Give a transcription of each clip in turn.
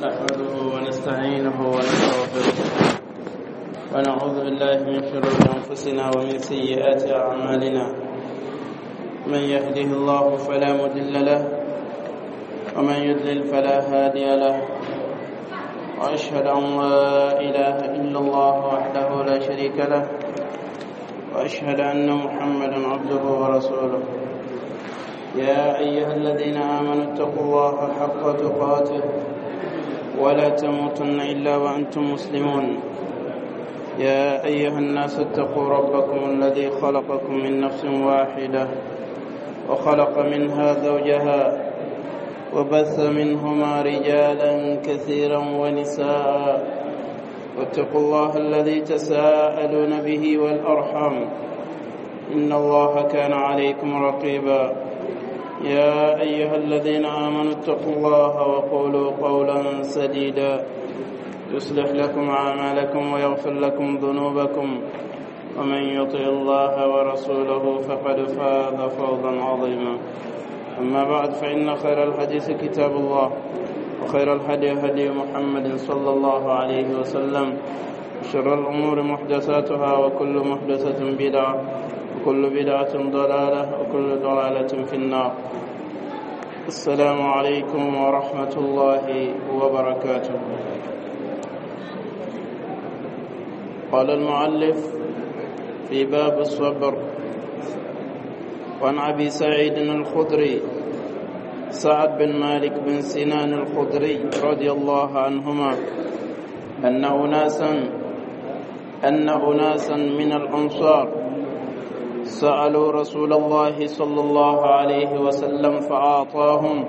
نحمده ونستعينه ونستغفره، ونعوذ بالله من شرور أنفسنا ومن سيئات أعمالنا. من يهده الله فلا مضل له، ومن يضلل فلا هادي له. وأشهد أن لا إله إلا الله وحده لا شريك له، وأشهد أن محمدا عبده ورسوله. يا أيها الذين آمنوا اتقوا الله حق تقاته ولا تموتن إلا وأنتم مسلمون. يا أيها الناس اتقوا ربكم الذي خلقكم من نفس واحدة، وخلق منها زوجها، وبث منهما رجالا كثيرا ونساء. واتقوا الله الذي تساءلون به والأرحام، إن الله كان عليكم رقيبا. يا أيها الذين آمنوا اتقوا الله وقولوا قولا سديدا، يصلح لكم أعمالكم ويغفر لكم ذنوبكم، ومن يطع الله ورسوله فقد فاز فوزا عظيما. أما بعد، فإن خير الحديث كتاب الله، وخير الهدي هدي محمد صلى الله عليه وسلم، وشر الأمور محدثاتها، وكل محدثة بدعة، وكل بدعة ضلالة، وكل ضلالة في النار. السلام عليكم ورحمة الله وبركاته. قال المؤلف في باب الصبر: وعن أبي سعيد الخدري سعد بن مالك بن سنان الخدري رضي الله عنهما أن أناسا من الأنصار سألوا رسول الله صلى الله عليه وسلم فأعطاهم،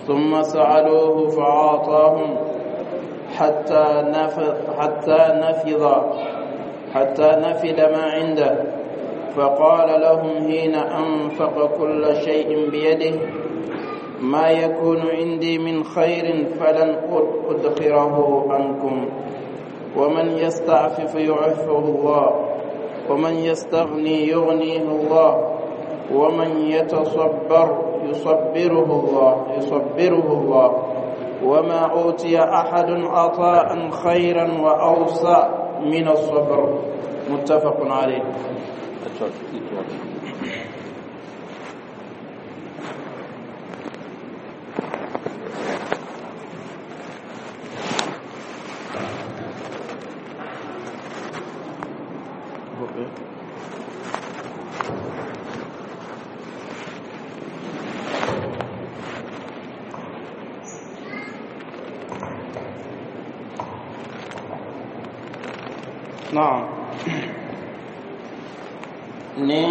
ثم سألوه فأعطاهم، حتى نفد ما عنده. فقال لهم حين أنفق كل شيء بيده: ما يكون عندي من خير فلن أدخره عنكم، ومن يستعفف يعفه الله، ومن يستغني يغنيه الله، ومن يتصبر يصبره الله، وما أوتي أحد عطاء خيرا وأوسع من الصبر. متفق عليه. نعم، ni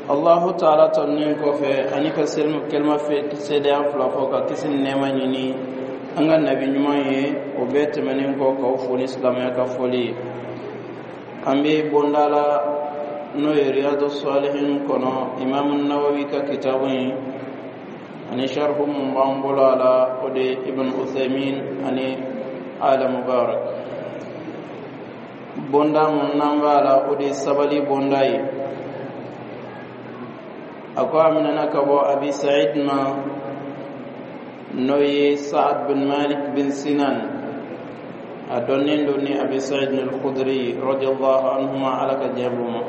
Allahu Taala tɔnnen kɔfɛ ani ka selimu kelima fɛ seedeya fila fɔ ka kisi ni nɛɛma ɲini an ka nabi ɲuman ye, o bɛɛ tɛmɛnen kɔ, k'aw fo ni silamɛya ka fɔli ye. An bɛ bonda la, n'o ye Riyadu Salihin kɔnɔ, Imamu Nawawi ka kitabu ye, ani sharhu mun b'an bolo a la, o de ye Ibn Uthaymin ani Ala Mubarak. Bonda mun n'an b'a la, o de ye sabali bonda ye. A ko a minɛna ka bɔ Abi Sa'id ma, n'o ye Sa'ad bin Malik bin Sinan, a dɔnnen don ni Abi Sa'id al-Khudri radiyallahu anhuma, Ala ka diɲɛ b'u ma.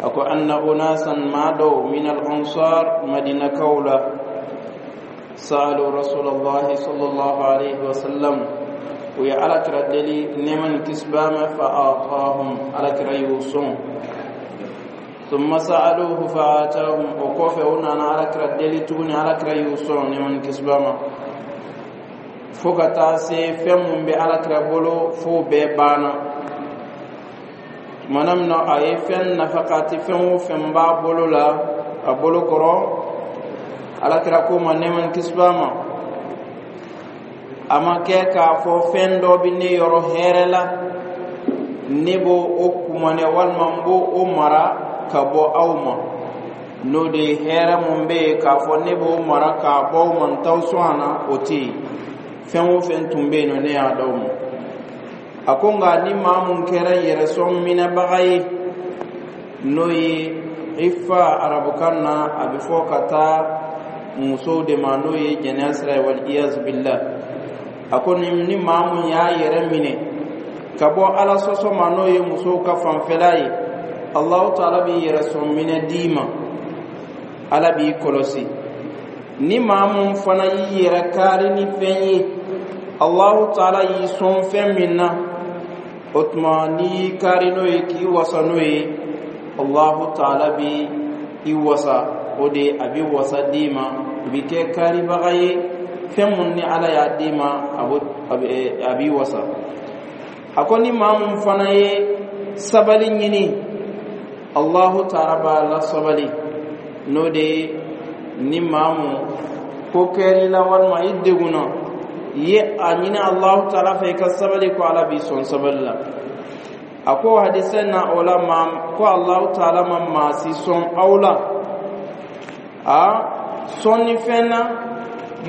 A ko anna unasan, maa dɔw, min al-ansar, Madinakaw la, sa'alu Rasulullahi sallallahu alaihi wasallam, u ye Alakira deli, nɛɛma ni kisi b'a ma, fa atahum, Alakira y'u sɔn. ثم سألوه فآتاهم, o kɔfɛ u nana Alakira deli tuguni, Alakira y'u sɔn, nɛɛma ni kisi b'a ma, fo ka taa se fɛn mun bɛ Alakira bolo f'o bɛɛ banna. Tumana min na a ye fɛn nafakati, fɛn o fɛn b'a bolo la, a bolo kɔrɔ, Alakira ko ma, nɛɛma ni kisi b'a ma: a ma kɛ k'a fɔ fɛn dɔ bɛ ne yɔrɔ hɛrɛ la, ne b'o o kumanɛ walima n b'o o mara ka bɔ aw ma, n'o de ye hɛrɛ mun bɛ yen k'a fɔ ne b'o mara k'a bɔ aw ma, n t'aw sɔn a na, o tɛ yen. Fɛn o fɛn tun bɛ yen nɔ, ne y'a d'aw ma. A ko nka ni maa mun kɛra yɛrɛsɔn minɛbaga ye, n'o ye ifa arabukan na, a bɛ fɔ ka taa Musow de ma, n'o ye jɛnɛya sira ye, wal iyaz billah. A ko ni maa mun y'a yɛrɛ minɛ ka bɔ Ala sɔsɔ ma, n'o ye musow ka fanfɛla ye, Allahu taala b'i yɛrɛ sɔn minɛ d'i ma, Ala b'i kɔlɔsi. Ni maa mun fana y'i yɛrɛ kaari ni fɛn ye, Allahu taala y'i sɔn fɛn min na, o tuma n'i y'i kaari n'o ye k'i wasa n'o ye, Allahu taala bi i wasa. O de a bi wasa d'i ma, i bi kɛ kaaribaga ye. Fɛn mun ni Ala y'a d'i ma, a b'i wasa. A ko ni maa mun fana ye sabali ɲini, Allahu taala b'a la sabali. N'o de ye ni maa mun ko kɛr'i la walima i degunna, i ye a ɲini Allahu taala fɛ i ka sabali, ko Ala b'i sɔn sabali la. A ko hadisɛ na o la, maa ko Allahu taala ma maa si sɔn aw la a sɔnni fɛn na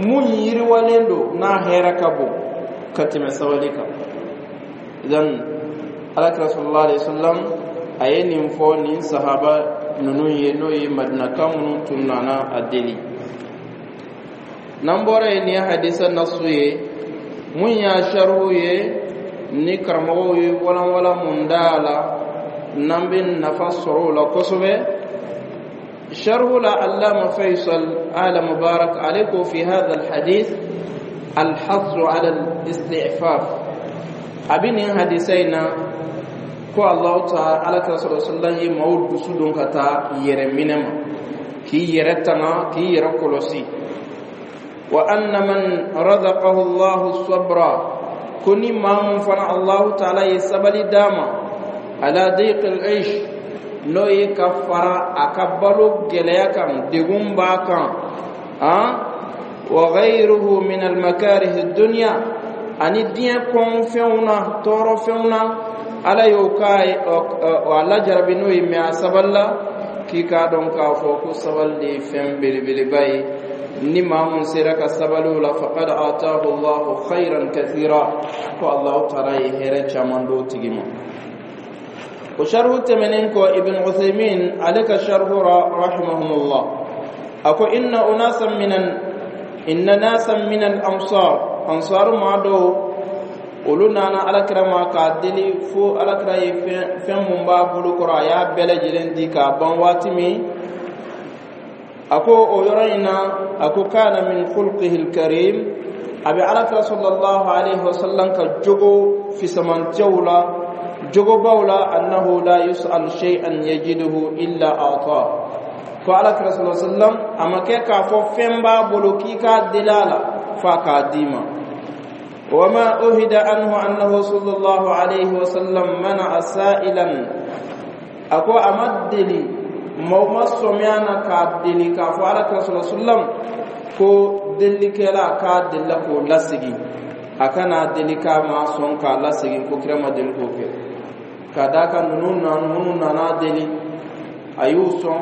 mun yiriwalen don n'a hɛrɛ ka bon ka tɛmɛ sabali kan. Idan Alakira sallallahu alaihi wasallam a ye nin fɔ nin sahaba ninnu ye, n'o ye Madinaka minnu tun nana a deli. N'an bɔra yen, nin ye hadisa nasu ye. Mun y'a sarihu ye, ni karamɔgɔw ye walanwala mun da a la, n'an bɛ nafa sɔrɔ o la kosɛbɛ, sarihu la, Allama Faisal Ala Mubarak ale ko: fi hadha alhadith alhassu ala al-istifaf. A bɛ nin hadisa in na ko Allahu taala, Ala kira sɔrɔ sallam ye maaw dusu don ka taa yɛrɛ minɛ ma, k'i yɛrɛ tanga, k'i yɛrɛ kɔlɔsi. Wa anna man razaqahu Allahu sabra, ko ni maa mun fana Allahu taala ye sabali d'a ma, ala dayq al-aish, n'o ye ka fara a ka balo gɛlɛya kan, degun b'a kan, wa ghayruhu min al-makarih ad-dunya, ani diɲɛ kɔnfɛnw na, tɔɔrɔfɛnw na, Ala y'o k'a ye, a lajarabi n'o ye, mɛ a sabalila, k'i k'a dɔn k'a fɔ ko sabali de ye fɛn belebeleba ye. Ni maa mun sera ka sabali o la, faqad atahu Allahu khayran kathira, ko Allahu taala ye hɛrɛ caman d'o tigi ma. O sharhu tɛmɛnen kɔ, Ibn Uthaymin ale ka sharhu ra, rahimahumullah, a ko inna nasan min al ansar, ansar maa dɔw, olu nana Alakira ma k'a deli fo Alakira ye fɛn mun b'a bolo kɔrɔ, a y'a bɛɛ lajɛlen di k'a ban waati min. A ko o yɔrɔ in na, a ko kana min khulqihi alkarim, a bɛ Alakira sallallahu alaihi wasallam ka jogo fisamantiyaw la, jogobaw la, annahu la yus'al shay'an yajiduhu illa ata, ko Alakira sallallahu alaihi wasallam a ma kɛ k'a fɔ fɛn b'a bolo k'i k'a deli a la f'a k'a d'i ma. وما أهد عنه أنه صلى الله عليه وسلم منع سائلا. أكو أمدلي ما سمعنا كادلي كافو على رسول الله صلى الله عليه وسلم ko delikɛla k'a delila k'o lasegin, a kana deli k'a ma sɔn k'a lasegin, ko kira ma deli k'o kɛ. Ka d'a kan ninnu na, minnu nana deli, a y'u sɔn.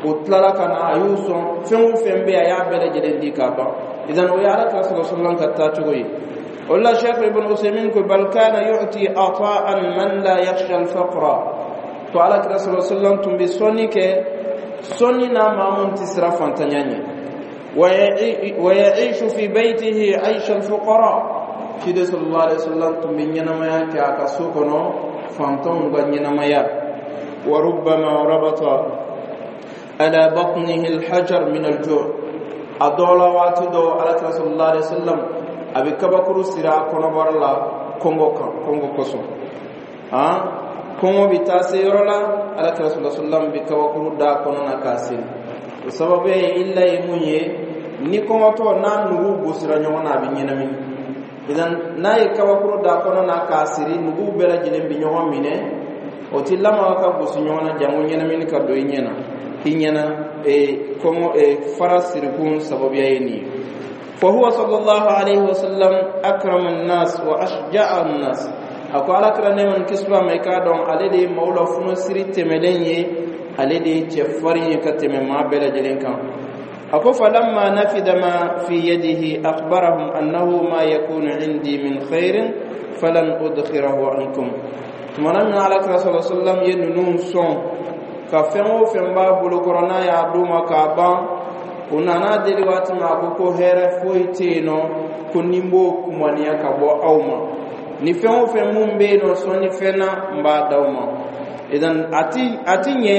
O tilala ka na, a y'u sɔn. Fɛn o fɛn bɛ yen, a y'a bɛɛ lajɛlen di k'a ban. Idan o ye Ala kira sɔrɔ sallam ka taacogo ye. O la, Cheikh Ibn Usaymin ko bal kana yu'ti ata'an man la yakhsha al-faqra, ko Ala kira sɔrɔ sallam tun bɛ sɔnni kɛ sɔnni na maa mun tɛ siran fantanya ɲɛ. Wa ya'ishu fi baytihi 'aysha al-fuqara, ciden sallallahu alaihi wasallam tun bɛ ɲɛnamaya kɛ a ka so kɔnɔ fantanw ka ɲɛnamaya. Wa rubbama rabata ala batnihi al-hajar min al-ju', a dɔw la, waati dɔw, Alakira sallallahu alaihi wasallam a bɛ kabakuru siri a kɔnɔbara la kɔngɔ kan, kɔngɔ kosɔn. Kɔngɔ bɛ taa se yɔrɔ la, Alakira sallallahu alaihi wasallam bɛ kabakuru da kɔnɔ na k'a siri. O sababu ye illa ye mun ye? Ni kɔngɔtɔ n'a nugu gosira ɲɔgɔn na, a bɛ ɲɛnamini. Idan n'a ye kabakuru da kɔnɔ na k'a siri, nugu bɛɛ lajɛlen bɛ ɲɔgɔn minɛ, o ti lamaga ka gosi ɲɔgɔn na, jango ɲɛnamini ka don i ɲɛ na, i ɲɛna. Kɔngɔ fara sirikun sababuya ye nin ye. فهو صلى الله عليه وسلم أكرم الناس وأشجع الناس. Ako Ala kira nɛɛma ni kisi b'a ma, i k'a dɔn ale de ye maaw la funosiri tɛmɛlen ye, ale de ye cɛfarin ye ka tɛmɛ maa bɛɛ lajɛlen kan. A ko falamma nafida ma fi yadihi akhbarahum annahu ma yakunu indi min khairin falan udkhirahu ankum. Tumana min Ala kira sallallahu alaihi wasallam ye ninnu sɔn ka fɛn o fɛn b'a bolo kɔrɔ, n'a y'a d'u ma k'a ban. U nana deli waati min, a ko ko hɛrɛ foyi tɛ yen nɔ ko ni n b'o kumaniya ka bɔ aw ma. Ni fɛn o fɛn mun bɛ yen nɔ, sɔnni fɛn na, n b'a d'aw ma. Idan a ti ɲɛ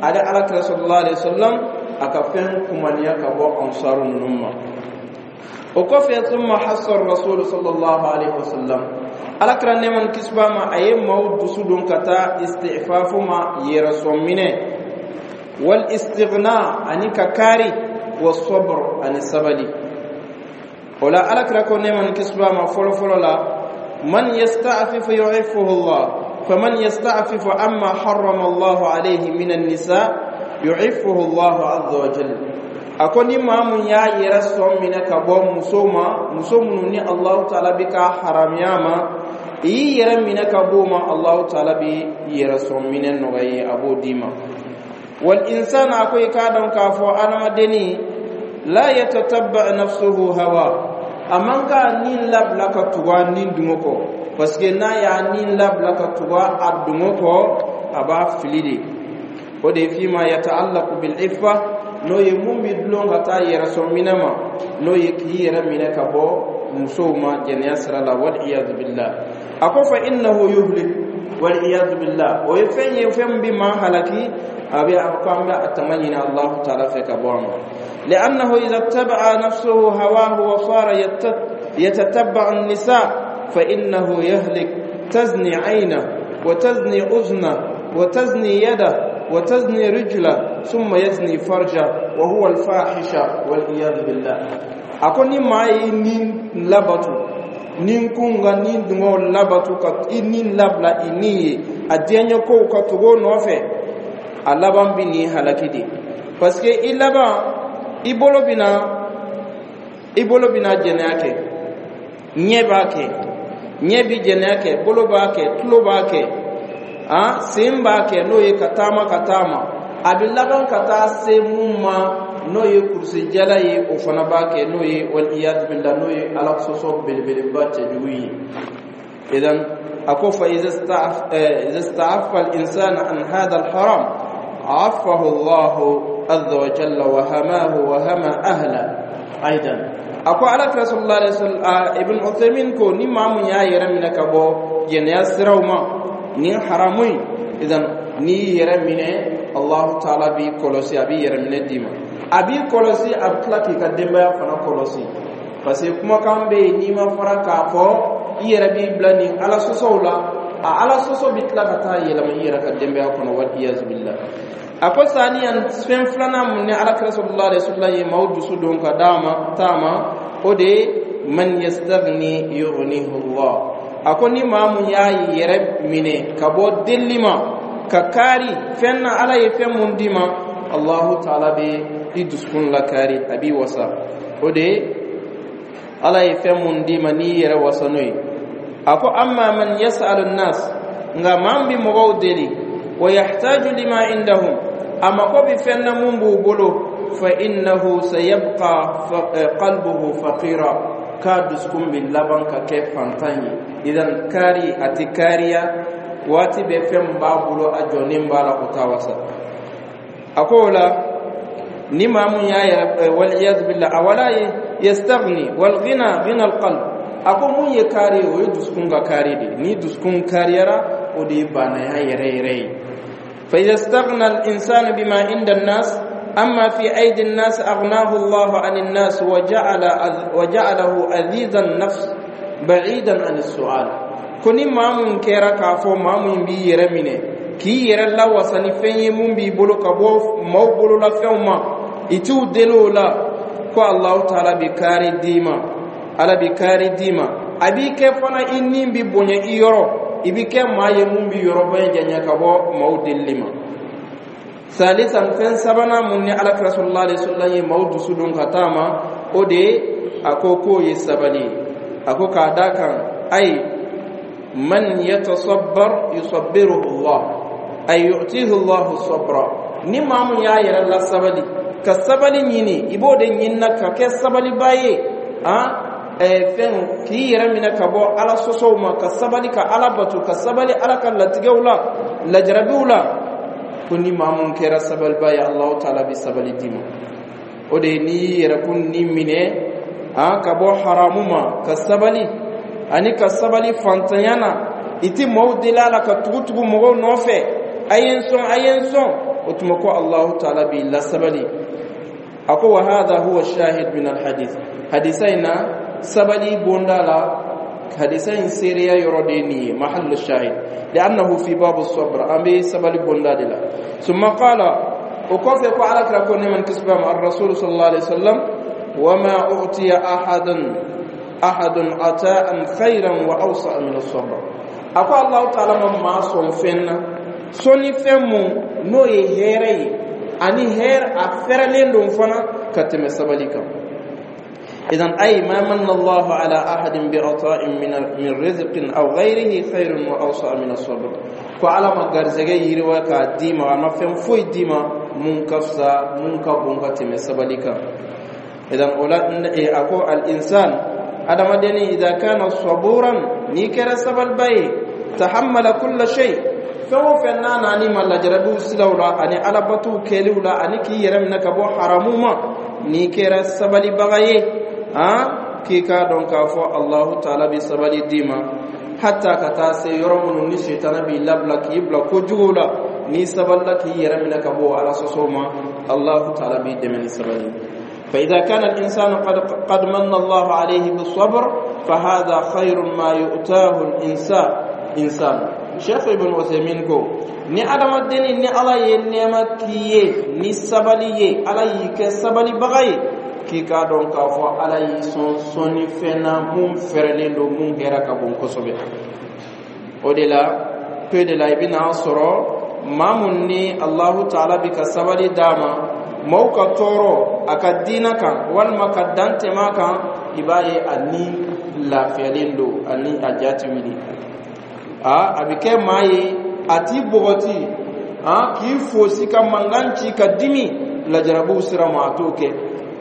ale Ala kira sallallahu alaihi wasallam a ka fɛn kumaniya ka bɔ Ansaru ninnu ma. O kɔfɛ, thumma hassa Rasul sallallahu alaihi wasallam, Ala kira nɛɛma ni kisi b'a ma, a ye maaw dusu don ka taa istifafu ma, yɛrɛsɔn minɛ, wal istighna, ani ka kaari, wa sabr, ani sabali. O la, Ala kira ko nɛɛma ni kisi b'a ma, fɔlɔ fɔlɔ la, man yasta'fifu yu'iffuhu Allah, faman yasta'fifu amma harrama Allah alayhi min an-nisa yu'iffuhu Allah azza wa jalla. A ko ni maa mun y'a yɛrɛ sɔn minɛ ka bɔ muso ma, muso minnu ni Allahu taala bi ka haramiya ma, i y'i yɛrɛ minɛ ka bɔ o ma, Allahu taala bi yɛrɛ sɔn minɛ nɔgɔya ye, a b'o d'i ma. Wal insan, a ko i k'a dɔn k'a fɔ adamadenni la yatatabba nafsuhu hawa, a man ka nin labila ka tugu a nin dungo kɔ, parce que n'a y'a nin labila ka tugu a dungo kɔ, a b'a fili de. O de ye fima yataallaqu bil iffa, n'o ye mun bi dulon ka taa yɛrɛsɔn minɛ ma, n'o ye k'i yɛrɛ minɛ ka bɔ musow ma jɛnɛya sira la, wal iyadu billah. A ko fa innahu yuhlik, wal iyadu billah. O ye fɛn ye, fɛn min bi maa halaki. A bɛ a ko an bɛ a tanga ɲini Allahu taala fɛ ka bɔ a ma. لأنه إذا اتبع نفسه هواه وصار يتتبع النساء فإنه يهلك. تزني عينه وتزني أذنه وتزني يده وتزني رجله ثم يزني فرجه، وهو الفاحشة، والعياذ بالله. A ko ni maa ye ni labatu, ni kun ka ni dungɔ labatu, ka i ni labila i ni ye a diɲɛ kow ka tugu o nɔfɛ, a laban bi nin halaki de, parce que i laban i bolo bina jɛnɛya kɛ, ɲɛ b'a kɛ, ɲɛ bi jɛnɛya kɛ, bolo b'a kɛ, tulo b'a kɛ, an sen b'a kɛ, n'o ye ka taama ka taama. A bɛ laban ka taa se mun ma, n'o ye kurusijala ye, o fana b'a kɛ, n'o ye waliyadu billah, n'o ye Ala sɔsɔ belebeleba cɛjugu ye. Idan a ko fa iza ista'affa al-insanu an hadha al-haram afahu Allah azza wa jalla wa hamahu wa hama ahla aidan. A ko Ala kira sallallahu alaihi wasallam, Ibn Uthaymin ko ni maa mun y'a yɛrɛ minɛ ka bɔ jɛnɛya siraw ma, nin haramu in, idan n'i y'i yɛrɛ minɛ, Allahu taala b'i kɔlɔsi, a b'i yɛrɛ minɛ d'i ma, a b'i kɔlɔsi, a bɛ tila k'i ka denbaya fana kɔlɔsi, parce que kumakan bɛ yen, n'i ma fara k'a fɔ, i yɛrɛ b'i bila nin Ala sɔsɔw la, a Ala sɔsɔ bɛ tila ka taa yɛlɛma i yɛrɛ ka denbaya kɔnɔ, wal iyazu billah. A ko saniyan, fɛn filanan mun ni Ala kira sallallahu alaihi wasallam ye maaw dusu don ka d'a ma taama, o de ye man yastaghni yughnihi Allah. A ko ni maa mun y'a yɛrɛ minɛ ka bɔ delili ma, ka kaari fɛn na, Ala ye fɛn mun d'i ma, Allahu taala bɛ i dusukun lakari, a b'i wasa. O de ye Ala ye fɛn mun d'i ma, n'i yɛrɛ wasa n'o ye. A ko amma man yas'alu nas, nka maa min bɛ mɔgɔw deli, wa yahtaju lima indahum, a mako bɛ fɛn na mun b'u bolo, fa innahu sayabqa qalbuhu faqira, k'a dusukun bɛ laban ka kɛ fantan ye. Idan kaari a tɛ kaariya waati bɛɛ, fɛn min b'a bolo, a jɔnnen b'a la, o t'a wasa. A ko o la, ni maa mun y'a yɛrɛ, waliyadu billah, a wala yastaghni, wal ghina ghina al qalb. A ko mun ye kaari ye, o ye dusukun ka kaari de. Ni dusukun kaariyara, o de ye banaya yɛrɛ yɛrɛ ye. Fa idha istaghna al insanu bima inda an-nas amma fi aydi an-nas aghnahu Allah an an-nas wa ja'ala wa ja'alahu aziza an-nafs ba'idan an as-su'al. Ko ni maa mun kɛra k'a fɔ maa mun b'i yɛrɛ minɛ k'i yɛrɛ lawasa ni fɛn ye mun b'i bolo ka bɔ maaw bolola fɛnw ma, i t'u deli o la, ko Allahu taala bi kaari d'i ma, Ala bi kaari d'i ma, a b'i kɛ fana i ni bi bonya i yɔrɔ, i bi kɛ maa ye mun bi yɔrɔ bɛɛ janya ka bɔ maaw delili ma. Salisan, fɛn sabanan mun ni Ala kira sallallahu alaihi wasallam ye maaw dusu don ka taa ma, o de ye a ko k'o ye sabali ye. A ko k'a da kan ayi man yatasabbar yusabbiruhu Allah, ay yu'tihi Allah sabra. Ni maa mun y'a yɛrɛ la sabali, ka sabali ɲini, i b'o de ɲinina ka kɛ sabaliba ye, han fɛn k'i yɛrɛ minɛ ka bɔ Ala sɔsɔw ma, ka sabali ka Ala bato, ka sabali Ala ka latigɛw la, lajarabiw la. Ko ni maa mun kɛra sabaliba ye, Allahu taala bɛ sabali d'i ma. O de ye n'i y'i yɛrɛkun ni minɛ an ka bɔ haramu ma, ka sabali, ani ka sabali fantanya na, i ti maaw deli a la ka tugu tugu mɔgɔw nɔfɛ, a ye n sɔn, a ye n sɔn. O tuma ko Alahu taala b'i lasabali. A ko: wa hadha huwa shahid min alhadith. Hadisa in na, sabali bonda la, hadisa in seereya yɔrɔ de ye nin ye, mahallu shahid, li'annahu fi babu sabr, an bɛ sabali bonda de la. Summa qala, o kɔfɛ ko Ala kira ko, nɛɛma ni kisi b'a ma, ar-rasul sallallahu alaihi wasallam: wama utiya ahadun ata'an khayran wa awsa'a min as-sabr. A ko Allahu taala ma maa sɔn fɛn na, sɔnni fɛn mun n'o ye hɛrɛ ye, ani hɛrɛ a fɛrɛlen don fana ka tɛmɛ sabali kan. إذن أي ما من الله على أحد بعطاء من رزق أو غيره خير وأوسع من الصبر. Ko Ala ma garisɛgɛ yiriwa k'a d'i ma, a ma fɛn foyi d'i ma mun ka fisa, mun ka bon ka tɛmɛ sabali kan. إذن o la, a ko: الإنسان, adamadenni, إذا كان صبورا, n'i kɛra sabaliba ye, تحمل كل شيء, fɛn o fɛn n'a nani ma lajarabiw siraw la, ani alabatuw kɛliw la, ani k'i yɛrɛ minɛ ka bɔ haramu ma, n'i kɛra sabalibaga ye, han, k'i k'a dɔn k'a fɔ Alahu taala bɛ sabali d'i ma, hatta ka taa se yɔrɔ minnu ni setana b'i labila k'i bila kojuguw la, n'i sabalila k'i yɛrɛ minɛ ka bɔ Ala sɔsɔw ma, Alahu taala b'i dɛmɛ ni sabali. فإذا كان الإنسان قد من الله عليه بالصبر فهذا خير ما يؤتاه الإنسان. Cheikh Ibn Uthaymeen ko ni adamaden ni Ala ye nɛɛma k'i ye ni sabali ye, Ala y'i kɛ sabalibaga ye, k'i k'a dɔn k'a fɔ Ala y'i sɔn sɔnni fɛn na mun fɛrɛlen don, mun hɛrɛ ka bon kosɛbɛ. O de la pe de la, i bɛna sɔrɔ maa mun ni Alahu taala bi ka sabali d'a ma, maaw ka tɔɔrɔ a ka diinɛ kan walima ka dan tɛmɛ a kan, i b'a ye a ni lafiyalen don, ani a ja ti wuli. A bɛ kɛ maa ye, a t'i bɔgɔti a k'i fosi ka mankan ci ka dimi lajarabiw sira ma, a t'o kɛ.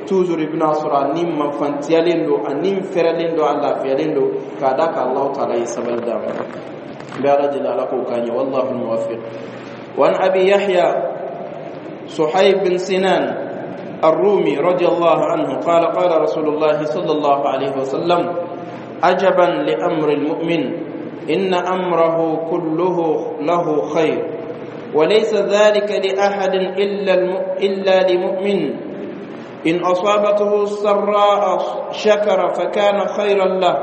Toujours i bɛna sɔrɔ a ni mafantiyalen don, a ni fɛrɛlen don, a lafiyalen don, k'a da ka Alahu taala ye sabali d'a ma. N bɛ Ala deli, Ala k'o k'an ye. والله الموفق. وعن أبي يحيى صهيب بن سنان الرومي رضي الله عنه قال: قال رسول الله صلى الله عليه وسلم: عجبا لأمر المؤمن، إن أمره كله له خير، وليس ذلك لأحد إلا لمؤمن: إن أصابته السراء شكر فكان خيرا له،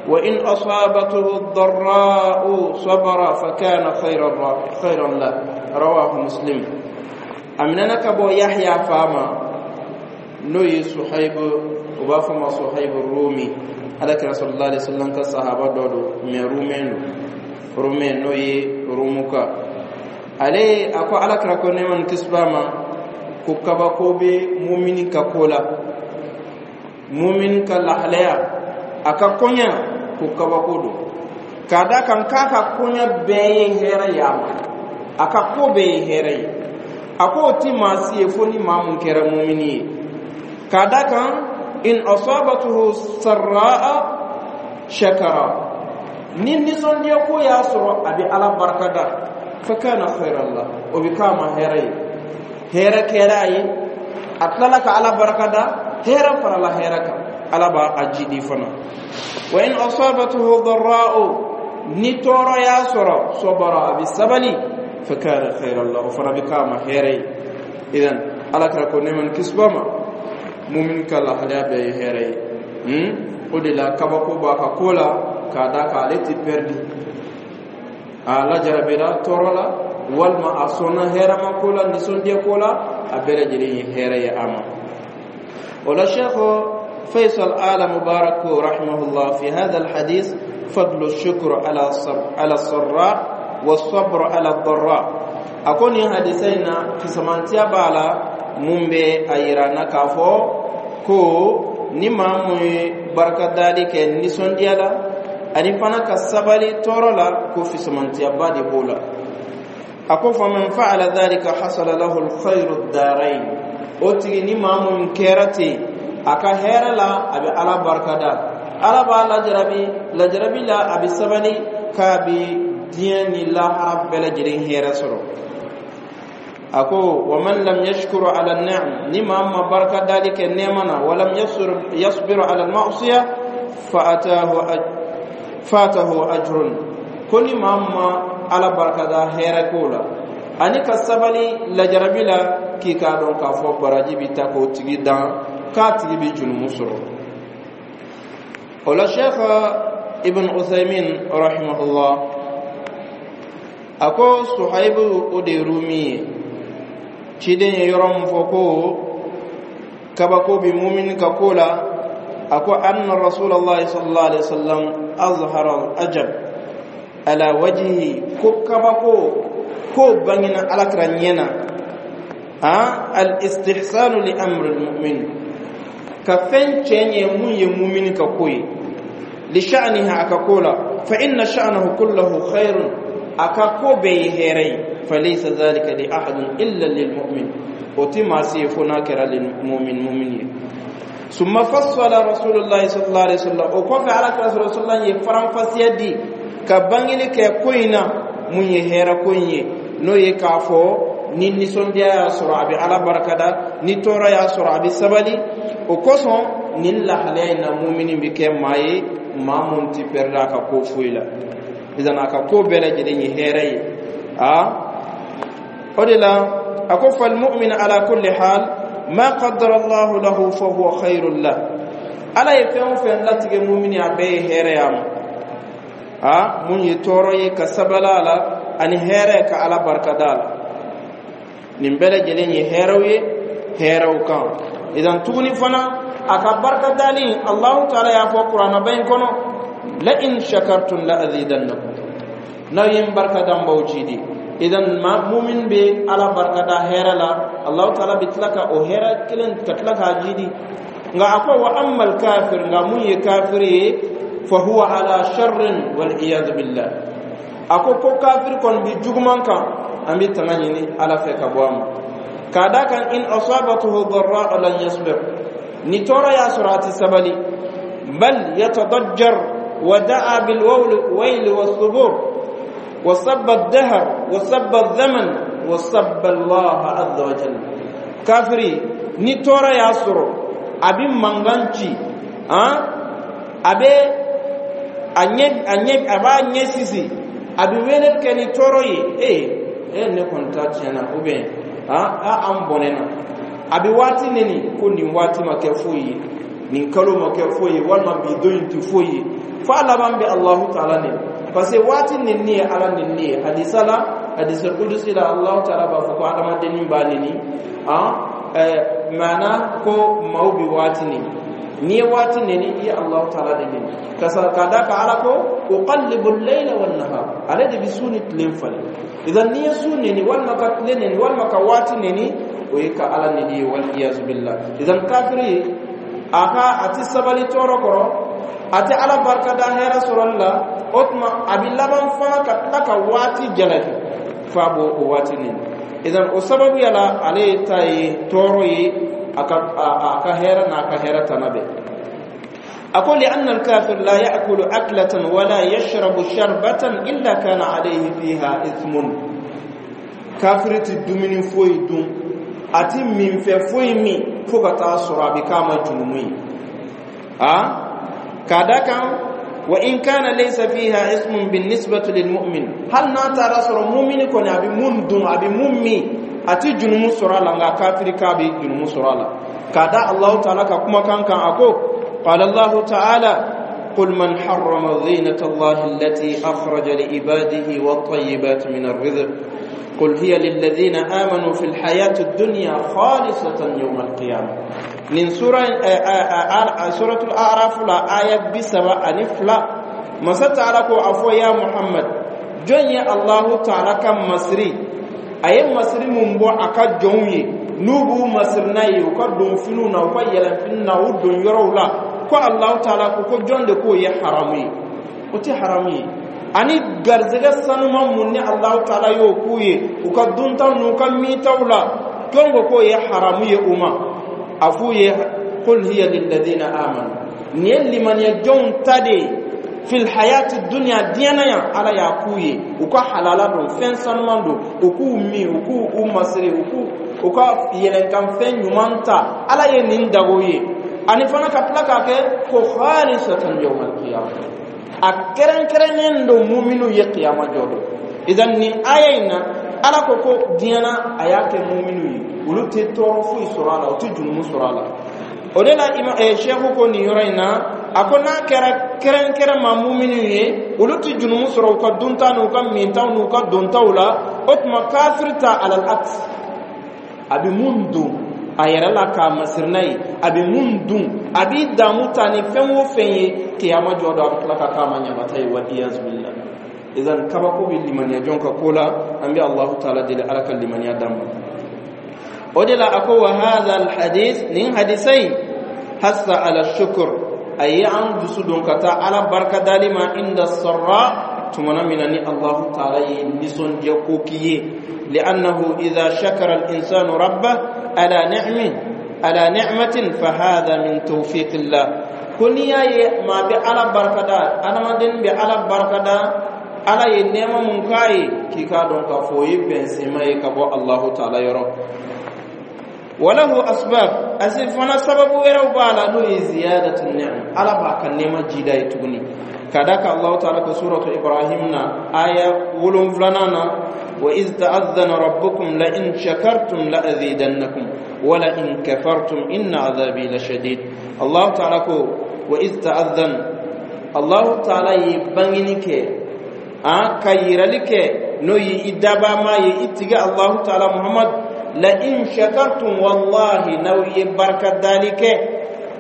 وإن أصابته الضراء صبر فكان خيرا له. رواه مسلم. A minɛna ka bɔ Yahya fa ma, n'o ye Suhaibu, u b'a fɔ ma Suhaibu Rumi, Ala kira sallallahu alaihi wasallam ka sahaba dɔ don, mais rumɛn don, rumɛn n'o ye Rumuka. Ale a ko Ala kira ko, nɛɛma ni kisi b'a ma, ko kabako bɛ mumini ka ko la, mumini ka lahalaya, a ka koɲa, ko kabako don, k'a da kan k'a ka koɲa bɛɛ ye hɛrɛ ye a ma, a ka ko bɛɛ ye hɛrɛ ye. A ko o ti maa si ye fo ni maa mun kɛra mumini ye, k'a da kan إن أصابته سراء شكر, ni nisɔndiya ko y'a sɔrɔ, a bɛ Ala barikada, فكان خيرا له, o bɛ k'a ma hɛrɛ ye, hɛrɛ kɛra a ye, a tilala ka Ala barikada, hɛrɛ farala hɛrɛ kan, Ala b'a a jidi fana. وإن أصابته ضراء, ni tɔɔrɔ y'a sɔrɔ, صبر, a bɛ sabali, فكان خيرا له, o fana bɛ k'a ma hɛrɛ ye. Idan Ala kira ko, nɛɛma ni kisi b'a ma, mumin ka lahalaya bɛɛ ye hɛrɛ ye. O de la kabako b'a ka ko la, k'a da kan ale ti perdi, a lajarabira tɔɔrɔ la walima a sɔnna hɛrɛma ko la, nisɔndiya ko la, a bɛɛ lajɛlen ye hɛrɛ ye a ma. O la, Cheikh فيصل آل مبارك رحمه الله: في هذا الحديث فضل الشكر على السراء والصبر على الضراء. A ko nin hadisa in na, fisamantiya b'a la mun bɛ a yira n na k'a fɔ ko ni maa mun ye barikadali kɛ nisɔndiya la, ani fana ka sabali tɔɔrɔ la, ko fisamantiyaba de b'o la. A ko: فمن فعل ذلك حصل له الخير الدارين. O tigi ni maa mun kɛra ten, a ka hɛrɛ la, a bɛ Ala barikada, Ala b'a lajarabi, lajarabi la a bɛ sabali, k'a bɛ diɲɛ ni lahara bɛɛ lajɛlen hɛrɛ sɔrɔ. A ko wa man lam yashkuru ala ni'am, ni maa ma baraka dali kɛ nɛɛma na, wa lam yasbiru ala al-ma'siya, fa atahu fatahu ajrun. Ko ni maa ma Ala baraka da hɛrɛ ko la ani ka sabali lajarabi la, k'i k'a dɔn k'a fɔ baraji bi ta k'o tigi dan, k'a tigi bi junumu sɔrɔ. O la, Sheikh Ibn Uthaymin rahimahullah a ko Suhaibu o de ye Rumi ye. Ciden ye yɔrɔ min fɔ ko kabako bi mumini ka ko la, a ko anna Rasulallah sallallahu alaihi wasallam azhara al-ajab ala wajhihi, ko kabako ko bangina Alakira ɲɛ na. Al istihsanu li amri al-mu'min, ka fɛn cɛ ɲɛ mun ye mumini ka ko ye, li sha'nihi, a ka ko la, fa inna sha'nahu kullahu khairun, a ka ko bɛɛ ye hɛrɛ ye, falaysa dhalika li ahadin illa lil mu'min, o ti maa si ye fo n'a kɛra lil mu'min, mu'min ye. Summa fassala Rasulullah sallallahu alaihi wasallam, o kɔfɛ Ala kira sallallahu alaihi wasallam ye faranfasiya di ka bangeli kɛ ko in na mun ye hɛrɛ ko in ye, n'o ye k'a fɔ ni nisɔndiya y'a sɔrɔ, a bɛ Ala barikada, ni tɔɔrɔ y'a sɔrɔ, a bɛ sabali. O kosɔn nin lahalaya in na, mumini bɛ kɛ maa ye, maa mun ti pɛrɛda a ka ko foyi la. Idan a ka ko bɛɛ lajɛlen ye hɛrɛ ye. A o de la a ko fal mu'min ala kulli hal ma qaddara Allahu lahu fa huwa khairul lah. Ala ye fɛn o fɛn latigɛ mumini, a bɛɛ ye hɛrɛ y'a ma. A mun ye tɔɔrɔ ye, ka sabali a la, ani hɛrɛ, ka Ala barikada a la, nin bɛɛ lajɛlen ye hɛrɛw ye hɛrɛw kan. Idan tuguni fana a ka barika dali, Allahu taala y'a fɔ Kuranaba in kɔnɔ: la in shakartum la azidannakum, n'aw ye n barika da, n b'aw jidi. Idan ma mumin bɛ Ala barika da hɛrɛ la, Allahu taala bɛ tila ka o hɛrɛ kelen ka tila k'a jidi. Nka a ko wa amma kafir, nka mun ye kafiri ye, fa huwa ala sharrin wal iyad billah. A ko ko kafiri kɔni bi juguman kan, an bɛ tanga ɲini Ala fɛ ka bɔ a ma. K'a da kan in asabatuhu darra lan yasbir, ni tɔɔrɔ y'a sɔrɔ, a ti sabali, bal yatadajjar wa da'a bil wayl was subur wa sabba ad-dahr wa sabba adh-dhaman wa sabba Allah azza wa jalla. Kafiri, ni tɔɔrɔ y'a sɔrɔ, a bi mankan ci, a bɛ a ɲɛ a ɲɛ a b'a ɲɛ sisi, a bɛ wele kɛ ni tɔɔrɔ ye: ee e, ne kɔni ta tiɲɛna, ou bien a an bɔnɛ na. A bɛ waati neni ko nin waati ma kɛ foyi ye, nin kalo ma kɛ foyi ye, walima bi don in tɛ foyi ye, f'a laban bɛ Alahu taala neni, parce que waati nenni ye Ala nenni ye. Hadisa la, hadisa kudusi la, Alahu taala b'a fɔ ko adamadennin b'a neni, maana ko maaw bɛ waati neni. N'i ye waati neni, i ye Alahu taala de neni, ka da ka Ala ko uqallibu al-layla wan nahar, ale de bɛ su ni tile falen. Idan n'i ye su neni, walima ka tile neni, walima ka waati neni, o ye ka Ala neni ye, wal iyazu billah. Idan kafiri a ka a ti sabali tɔɔrɔ kɔrɔ, a tɛ Ala barika da hɛrɛ sɔrɔli la, o tuma a bɛ laban fana ka tila ka waati jalaki f'a b'o o waati neni. Idan o sababuya la, ale ta ye tɔɔrɔ ye a ka hɛrɛ n'a ka hɛrɛ tana bɛɛ. أقول لأن الكافر لا يأكل أكلة ولا يشرب شربة إلا كان عليه فيها إثم. Kafiri ti dumuni foyi dun, a ti minfɛ foyi min, fo ka taa sɔrɔ a bɛ k'a ma junumu ye. A k'a da kan wa in kana laysa fiha ismun بالنسبة للمؤمن, hali n'a taara sɔrɔ mumini kɔni a bɛ mun dun, a bɛ mun min, a ti junumu sɔrɔ a la, nka kafiri k'a bɛ junumu sɔrɔ a la, k'a da Allahu taala ka kumakan kan. A ko قال الله تعالى: قل من حرم زينة الله التي أخرج لعباده والطيبات من الرزق قل هي للذين آمنوا في الحياة الدنيا خالصة يوم القيامة. من سورة الأعراف لا آية 32، masa taala ko a fɔ ya Muhammad, jɔn ye Allahu taala ka masiri, a ye masiri mun bɔ a ka jɔnw ye, n'u b'u masiri n'a ye u ka donfiniw na, u ka yɛlɛnfini na, u don yɔrɔw la, ko Allahu taala ko ko jɔn de k'o ye haramu ye? O tɛ haramu ye. Ani garizɛgɛ sanuman mun ni Allahu taala y'o k'u ye u ka duntaw n'u ka mintaw la, jɔn ko k'o ye haramu ye u ma? A f'u ye: qul hiya lilladina amanu, nin ye limaniya jɔnw ta de ye. Fil hayati dunya, diɲɛ na yan, Ala y'a k'u ye u ka halala don, fɛn sanuman don, u k'u min, u k'u u masiri, u k'u u ka yɛlɛnkanfɛn ɲuman ta. Ala ye nin dago ye, ani fana ka tila k'a kɛ ko khalisatan yawmal qiyamah, a kɛrɛnkɛrɛnnen don muminu ye kiyama jɔ don. Idan nin aya in na, Ala ko ko diɲɛ na a y'a kɛ muminu ye, olu tɛ tɔɔrɔ foyi sɔrɔ a la, u tɛ jurumu sɔrɔ a la. O de la sɛku ko nin yɔrɔ in na, a ko n'a kɛra kɛrɛnkɛrɛn ma muminu ye, olu tɛ jurumu sɔrɔ u ka dunta n'u ka mintaw n'u ka dontaw la, o tuma kafiri ta, alal aks, a bɛ mun don a yɛrɛ la k'a masiri n'a ye, a bɛ mun dun, a b'i damu ta ni fɛn o fɛn ye, kiyama jɔ don a bɛ tila ka k'a ma ɲagata ye, wal iyazu billah. Idan kabako bɛ limaniya jɔn ka ko la. An bɛ Allahu taala deli, Ala ka limaniya d'an ma. O de la a ko wa hadha al hadith, nin hadisa in, hasa ala shukr, a ye an dusu don ka taa Ala barika dali ma, inda sarra, tumana min na ni Allahu taala ye nisɔndiya ko k'i ye. Li'annahu idha shakara al-insanu rabbah ala ni'min ala ni'matin, fa hadha min tawfiqillah. Ko n'i y'a ye maa bɛ Ala barikada, adamaden bɛ Ala barikada Ala ye nɛɛma mun k'a ye, k'i k'a dɔn k'a fɔ o ye bɛnsenma ye ka bɔ Allahu taala yɔrɔ. Walahu asbab, asi fana sababu wɛrɛw b'a la, n'o ye ziyadatu ni'am, Ala b'a ka nɛɛma jida ye tuguni, ka da kan Allahu taala ko suratu Ibrahim na, aya 7nan na: wa iz ta'adhana rabbukum la in shakartum la azidannakum wa la in kafartum inna azabi la shadid. Allahu taala ko wa iz ta'adhan, Allahu taala ye bangini kɛ, a ka yirali kɛ, n'o ye i dabama ye, i tigi Allahu taala Muhammad, la in shakartum, wallahi n'aw ye barika dali kɛ,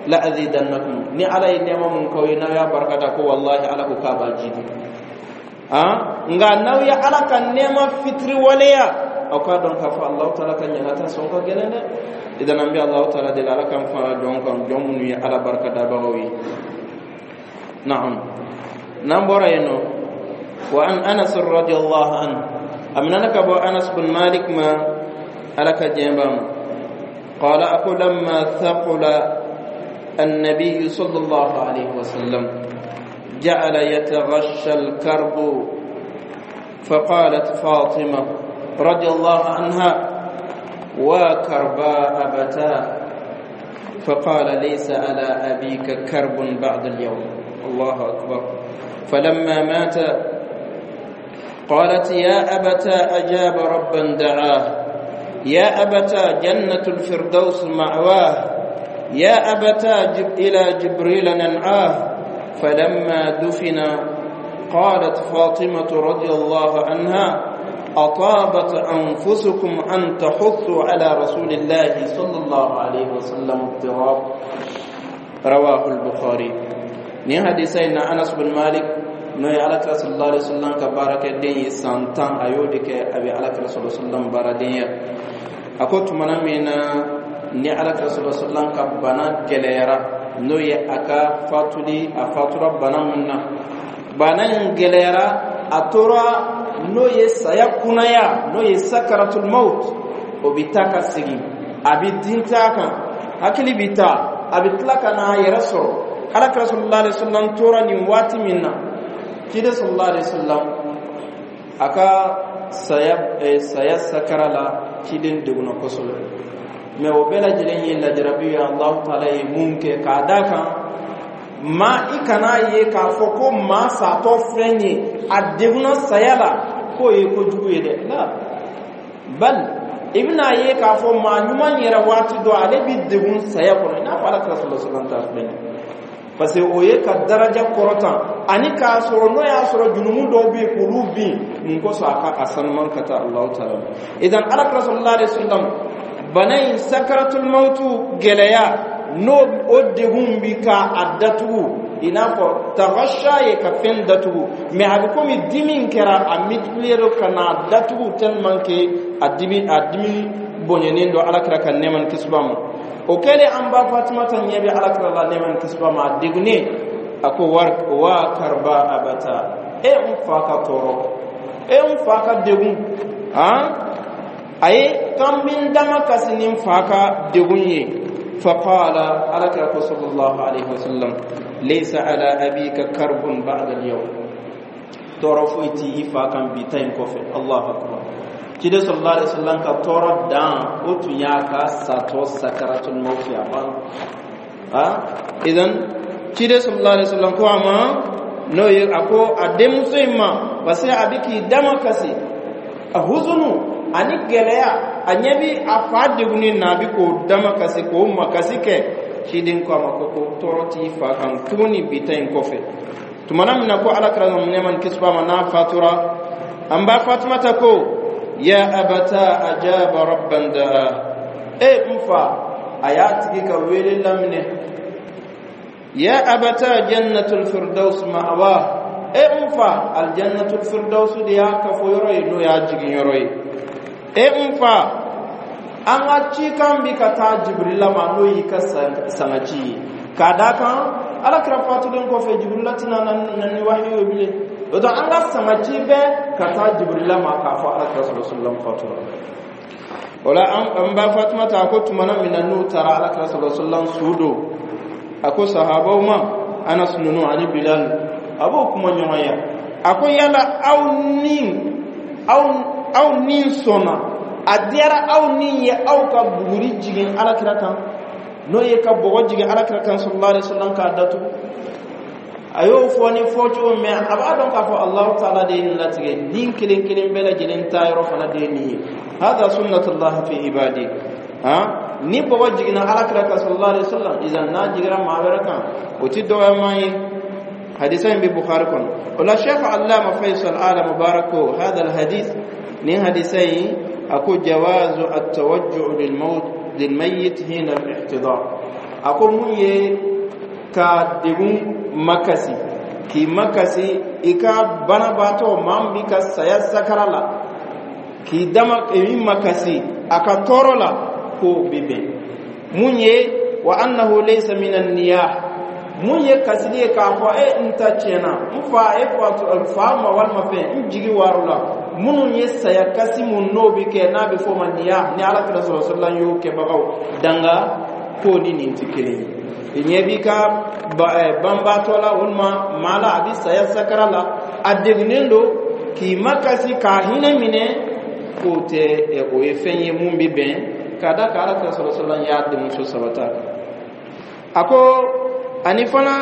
la azidannakum, ni Ala ye nɛɛma mun k'aw ye, n'aw y'a barika da, ko wallahi Ala ko k'a b'a jidi. Nka n'aw ye Ala ka nɛɛma fitiri waleya, aw k'a dɔn k'a fɔ Allahu taala ka ɲangata sɔn ka gɛlɛn dɛ. Idan an bɛ Allahu taala deli, Ala k'an fara jɔn kan, jɔn minnu ye Ala barika dabagaw ye. Naam, n'an bɔra yen nɔ, wa an Anas radiyallahu anhu, a minɛna ka bɔ Anas bin Malik ma, Ala ka diɲɛ b'a ma, qala, a ko: lamma thaqula النبي صلى الله عليه وسلم جعل يتغشى الكرب، فقالت فاطمة رضي الله عنها: وكربا أبتاه، فقال: ليس على أبيك كرب بعد اليوم. الله أكبر. فلما مات قالت: يا أبتا أجاب ربا دعاه، يا أبتا جنة الفردوس مأواه، يا أبتا جب إلى جبريل ننعاه. فلما دفن قالت فاطمة رضي الله عنها: أطابت أنفسكم أن تحثوا على رسول الله صلى الله عليه وسلم التراب. رواه البخاري. Ni hadisa in na, Anas bin Malik, n'o ye Alakira sallallahu alaihi wasallam ka baarakɛden ye, san 10 a y'o de kɛ a bɛ Alakira sallallahu alaihi wasallam baaradenya. A ko tumana min na ni Alakira sallallahu alaihi wasallam ka bana gɛlɛyara, n'o ye a ka fatuli, a fatura bana min na, bana in gɛlɛyara, a tora n'o ye saya kunaya, n'o ye sakaratul maut, o bɛ taa ka segin, a bɛ dinta kan, hakili bɛ taa, a bɛ tila ka n'a yɛrɛ sɔrɔ. Alakira sallallahu alaihi wasallam tora nin waati min na, ciden sallallahu alaihi wasallam a ka saya sakara la, ciden degunna kosɛbɛ. Mɛ o bɛɛ lajɛlen ye lajarabi ye Allahu taala ye mun kɛ, k'a d'a kan maa i kana ye k'a fɔ ko maa satɔ filɛ nin ye, a degunna saya la, k'o ye kojugu ye dɛ. La bal, i bɛna ye k'a fɔ maa ɲuman yɛrɛ, waati dɔ ale bɛ degun saya kɔnɔ, i n'a fɔ Alakira sallallahu alaihi wasallam ta filɛ nin ye, parce que o ye ka daraja kɔrɔtan, ani k'a sɔrɔ n'o y'a sɔrɔ junumu dɔw bɛ yen k'olu bin mun kosɔn, a ka a sanuman ka taa Allahu taala. Idan Alakira sallallahu alaihi wasallam bana in, sakaratul mautu gɛlɛya, n'o o degun bi ka a datugu, i n'a fɔ tagasha ye ka fɛn datugu, mɛ a bɛ komi dimi kɛra a multiplier ka n'a datugu tellement que a dimi bonyanen don Alakira ka nɛɛma ni kisi b'a ma. O kɛlen, an ba Fatimata ɲɛ bɛ Alakira la, nɛɛma ni kisi b'a ma, a degunnen, a ko: wa karba abata, e n fa ka tɔɔrɔ, e n fa ka degun. Han, a ye kan bin dama kasi ni n fa ka degun ye. Faqala, Alakira ko sallallahu alaihi wasallam: Laysa ala abika karbun ba'da al-yawm, tɔɔrɔ foyi ti i fa kan bi ta in kɔfɛ. Allahu akbar! Ciden sallallahu alaihi wasallam ka tɔɔrɔ dan, o tun y'a ka satɔ sakaratul mawti, a banna. Ha, idan ciden sallallahu alaihi wasallam ko a ma, n'o ye a ko a denmuso in ma, parce que a bɛ k'i dama kasi, a huzunu ani gɛlɛya, a ɲɛ bi a fa degunni na, a bɛ k'o dama kasi, k'o makasi kɛ. Ciden ko a ma ko tɔɔrɔ t'i fa kan tuguni bi ta in kɔfɛ. Tumana min na ko Ala kira, nɛɛma ni kisi b'a ma, n'a fatura, an ba Fatumata ko: ya abata, ajaba rabban daa. E n fa, a y'a tigi ka wele laminɛ. Ya abata, jannatul firdaus ma'wa. E n fa, aljannatul firdaus de y'a kafo yɔrɔ ye, n'o y'a jigin yɔrɔ ye. E n fa, an ka cikan bi ka taa Jibrila ma, n'o y'i ka sangaci ye. K'a da kan Ala kira fatulen kɔfɛ, Jibrila tɛna na ni wahiyu ye bilen. O don an ka sangaci bɛ ka taa Jibrila ma k'a fɔ Ala kira sallallahu alaihi wasallam fatura. O la an ba Fatumata a ko, tumana min na n'u taara Ala kira sallallahu alaihi wasallam su don, a ko sahabaw ma, Anas ninnu ani Bilal, a b'o kuma ɲɔgɔnya. A ko: yala aw ni sɔnna, a diyara aw ni ye aw ka buguri jigin Ala kira kan, n'o ye ka bɔgɔ jigin Ala kira kan sallallahu alaihi wasallam k'a datugu? A y'o fɔ ni fɔcogo mɛ, a b'a dɔn k'a fɔ Alahu taala de ye nin latigɛ, nin kelen kelen bɛɛ lajɛlen ta yɔrɔ fana de ye nin ye. Hada sunnatullahi fi ibadi. Ha, ni bɔgɔ jiginna Ala kira kan sallallahu alaihi wasallam, idan n'a jigira maa wɛrɛ kan, o ti dɔgɔyama ye. Hadisa in bɛ Bukhari kɔnɔ. O la Sheikh Allama Faisal Ala Mubarak ko: hada alhadith, nin hadisa in, a ko jawazu at-tawajjuh lil maut lil mayyit hina al-ihtidar. A ko mun ye ka degun makasi, k'i makasi i ka banabaatɔ, maa min b'i ka saya sakara la, k'i dama i makasi a ka tɔɔrɔ la, k'o bɛ bɛn. Mun ye wa annahu laysa min an-niyah, mun ye kasili ye k'a fɔ: e n ta tiɲɛna, n fa, e fa fa ma, walima fɛn n jigi waru la. Minnu ye saya kasi mun n'o bɛ kɛ, n'a bɛ fɔ o ma niya, ni Ala kira sɔrɔ sallam y'o kɛbagaw danga, k'o ni nin tɛ kelen ye. Ɲɛ b'i ka banbaatɔ la walima maa la, a bɛ saya sakara la, a degunnen don, k'i makasi k'a hinɛ minɛ, k'o tɛ, o ye fɛn ye mun bɛ bɛn. K'a da ka Ala kira sɔrɔ sallam y'a denmuso sabata. A ko ani fana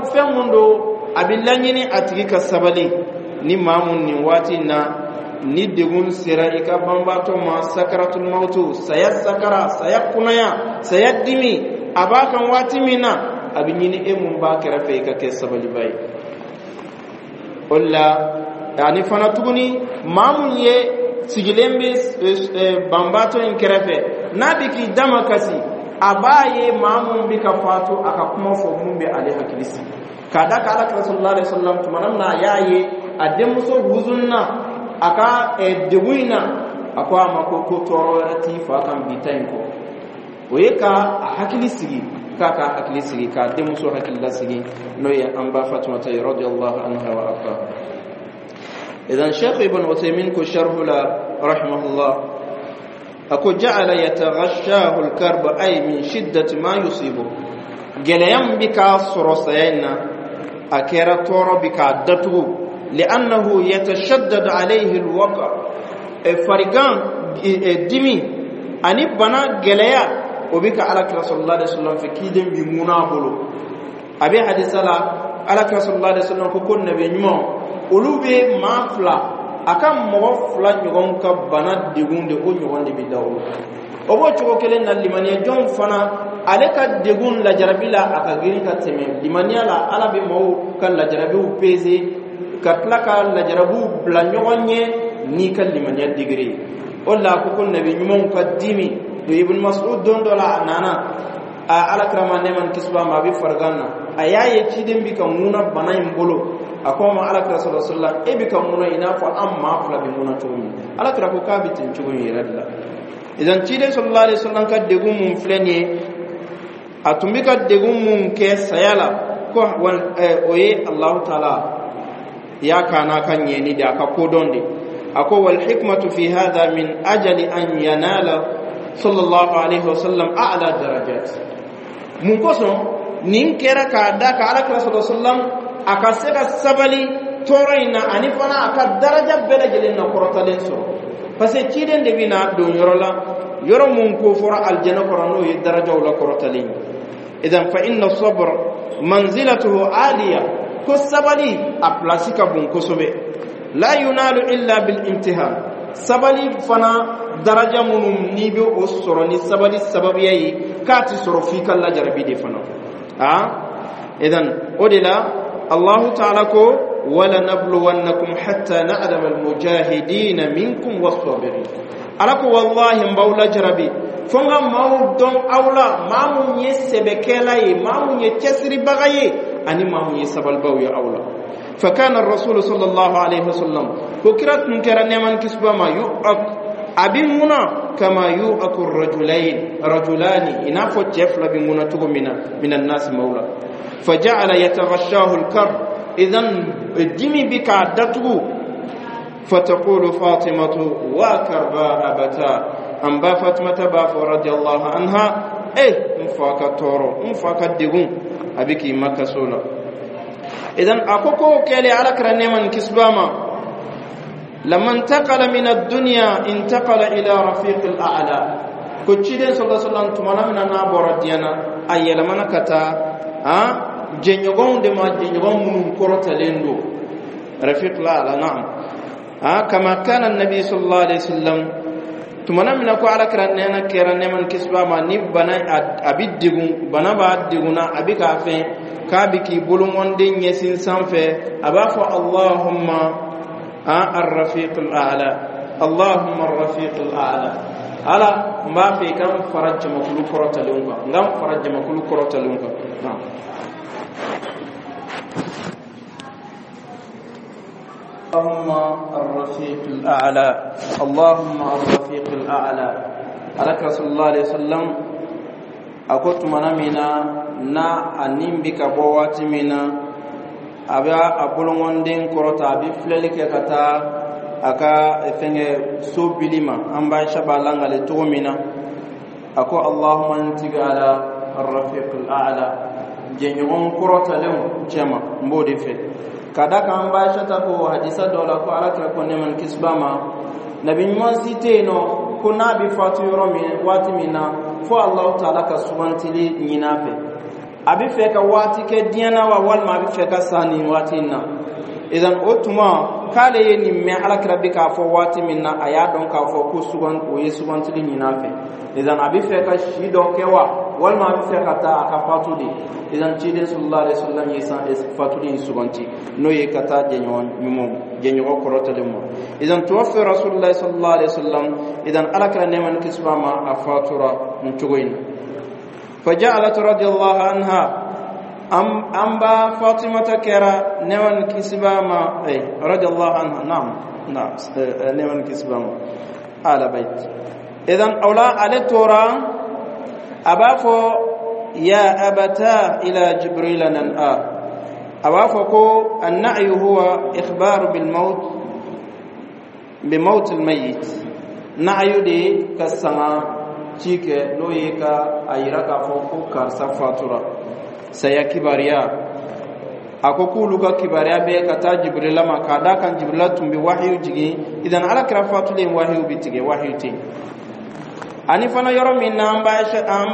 fɛn mun don, a bɛ laɲini a tigi ka sabali. Ni maa mun nin waati in na ni degun sera i ka banbaatɔ ma, sakaratul mawtu, saya sakara, saya kunaya, saya dimi a b'a kan waati min na, a bɛ ɲini e mun b'a kɛrɛfɛ, i ka kɛ sabaliba ye. O la ani fana tuguni, maa mun ye sigilen bɛ banbaatɔ in kɛrɛfɛ, n'a bɛ k'i dama kasi, a b'a ye maa mun bɛ ka fatu, a ka kuma fɔ mun bɛ ale hakili sigi. K'a da ka Ala kira sallallahu alaihi wasallam, tuma min na a y'a ye a denmuso huzunna a ka degun in na, a ko a ma ko tɔɔrɔ wɛrɛ t'i fa kan bi ta in kɔ. O ye ka a hakili sigi, k'a ka hakili sigi, k'a denmuso hakili lasigi, n'o ye an ba Fatumata ye radiyallahu anha wa arda. Idan Sheikh Ibn Uthaymin ko sharhu la rahimahullah, ako ja'ala yataghashahu al-karb, ay min shiddati ma yusibu. Gɛlɛya min bɛ k'a sɔrɔ saya in na, a kɛra tɔɔrɔ bi k'a datugu. Li'annahu yatashaddad alayhi al-waqa, farigan, dimi ani bana gɛlɛya, o bɛ ka Ala kira sallallahu alaihi wasallam fɛ kiden bi ŋuna a bolo. A bɛ hadisa la, Ala kira sallallahu alaihi wasallam ko nabi ɲuman olu bɛ maa fila, a ka mɔgɔ fila ɲɔgɔn ka bana degun de, o ɲɔgɔn de bɛ da o la. O b'o cogo kelen na, limaniya jɔn fana, ale ka degun lajarabi la, a ka girin ka tɛmɛ limaniya la. Ala bɛ maaw ka lajarabiw pese ka tila ka lajarabiw bila ɲɔgɔn ɲɛ n'i ka limaniya degré ye. O la a ko nabi ɲumanw ka dimi to. Ibn Mas'ud, don dɔ la a nana a Ala kira ma, nɛɛma ni kisi b'a ma, a bɛ farigan na. A y'a ye ciden bi ka ŋuna bana in bolo. A ko a ma: Ala kira sallallahu alaihi wasallam, e bɛ ka ŋuna i n'a fɔ an maa fila bɛ ŋuna cogo min. Ala kira ko k'a bɛ ten cogo in yɛrɛ de la. Idan ciden sallallahu alaihi wasallam ka degun mun filɛ nin ye, a tun bɛ ka degun mun kɛ saya la, ko o ye Alahu taala y'a k'a n'a ka ɲɛni de, a ka kodɔn de. A ko wal hikmatu fi hadha min ajali an yanala sallallahu alaihi wasallam a'la darajat. Mun kosɔn Nin kɛra k'a da ka Alakira sallallahu alaihi wasallam a ka se ka sabali tɔɔrɔ in na, ani fana a ka daraja bɛɛ lajɛlen na kɔrɔtalen sɔrɔ, parce que ciden de bɛna don yɔrɔ la, yɔrɔ mun ko fɔra alijɛnɛ kɔnɔ, n'o ye darajaw la kɔrɔtalen ye. Idan fa inna sabr manzilatuhu aliya, ko sabali a pilasi ka bon kosɛbɛ. La yunalu illa bil imtihan. Sabali fana, daraja minnu n'i bɛ o sɔrɔ ni sabali sababuya ye, k'a ti sɔrɔ f'i ka lajarabi de fana. A idan o de la Allahu taala ko: wala nabluwannakum hatta na'lama almujahidina minkum was-sabirin. Ala ko: wallahi, n b'aw lajarabi fo n ka maaw dɔn aw la, maa mun ye sɛbɛkɛla ye, maa mun ye cɛsiribaga ye, ani maa mun ye sabalibaw ye aw la. فكان الرسول صلى الله عليه وسلم, ko kira tun kɛra, nɛɛma ni kisi b'a ma, yu'ak, a bi ŋuna, kama yu'aku rajulain rajulani, i n'a fɔ cɛ fila bi ŋuna cogo min na, min annasi, mawla. فجعل يتغشاه الكرب, idan dimi bi k'a datugu. فتقول فاطمة: وكربا أبتا. An ba Fatimata b'a fɔ, رضي الله عنها: eh, n fa ka tɔɔrɔ, n fa ka degun, a bɛ k'i makaso la. Idan a ko k'o kɛlen, Ala kɛra, nɛɛma ni kisi b'a ma, لما انتقل من الدنيا انتقل إلى رفيق الأعلى. Ko ciden صلى الله عليه وسلم, tumana min na n'a bɔra diɲɛ na, a yɛlɛmana ka taa a jɛɲɔgɔnw de ma, jɛɲɔgɔn minnu kɔrɔtalen don, رفيق الأعلى. نعم, كما كان النبي صلى الله عليه وسلم, tumana min na ko Ala kɛra nɛɛna kɛra, nɛɛma ni kisi b'a ma, ni bana a bi degun, bana b'a degunna, a bi k'a fɛn k'a bi k'i bolongɔnden ɲɛsin sanfɛ, a b'a fɔ: اللهم الرفيق الأعلى, اللهم الرفيق الأعلى. Ala, n b'a fɛ i ka n fara jamakulu kɔrɔtalenw kan, n ka n fara jamakulu kɔrɔtalenw kan. Naam. اللهم الرفيق الأعلى, اللهم الرفيق الأعلى. Alaka صلى الله عليه وسلم a ko tumana min na n'a a nin bi ka bɔ, waati min na a bɛ a bolongɔnden kɔrɔta, a bɛ filɛli kɛ ka taa a ka fɛnkɛ so bili ma, an b'a b'a langale cogo min na, a ko: اللهم, n tigi Ala, الرفيق الأعلى, jɛɲɔgɔn kɔrɔtalenw cɛma, n b'o de fɛ. Ka da kan, an b'a ta ko hadisa dɔ la ko Ala kira ko, nɛɛma ni kisi b'a ma, nabi ɲuman si tɛ yen nɔ ko n'a bɛ fatu yɔrɔ min, waati min na, fo Alahu taala ka sugantili ɲini a fɛ, a bɛ fɛ ka waati kɛ diɲɛ na wa, walima a bɛ fɛ ka sa nin waati in na. Idan o tuma k'ale ye nin mɛn Ala kira bɛ k'a fɔ waati min na, a y'a dɔn k'a fɔ ko sugan o ye sugantili ɲini a fɛ. Idan a bɛ fɛ ka si dɔ kɛ wa, walima a bɛ fɛ ka taa a ka fatu de. Idan ciden صلى الله عليه وسلم ye san fatuli in suganti, n'o ye ka taa jɛɲɔgɔn ɲumanw, jɛɲɔgɔn kɔrɔtalen ma. Idan توفي رسول الله صلى الله عليه وسلم, idan Ala kɛra, nɛɛma ni kisi b'a ma, a fatura nin cogo in na. فجعلت رضي الله عنها, an ba Fatimata kɛra, nɛɛma ni kisi b'a ma, رضي الله عنها, نعم نعم, nɛɛma ni kisi b'a ma, ala bayt. Idan awla ale tora a b'a fɔ: يا أبتا إلى جبريل ننأى. A b'a fɔ ko النعي هو إخبار بالموت, بموت الميت. Na'ayu de ka sanga ci kɛ, n'o ye ka a yira k'a fɔ ko karisa fatura, saya kibaruya. A ko k'olu ka kibaruya bɛ ka taa Jibirila ma, k'a da kan Jibirila tun bɛ wahiyu jigin. Idan Ala kira fatulen, wahiyu bɛ tigɛ, wahiyu tɛ yen. Ani fana yɔrɔ min na an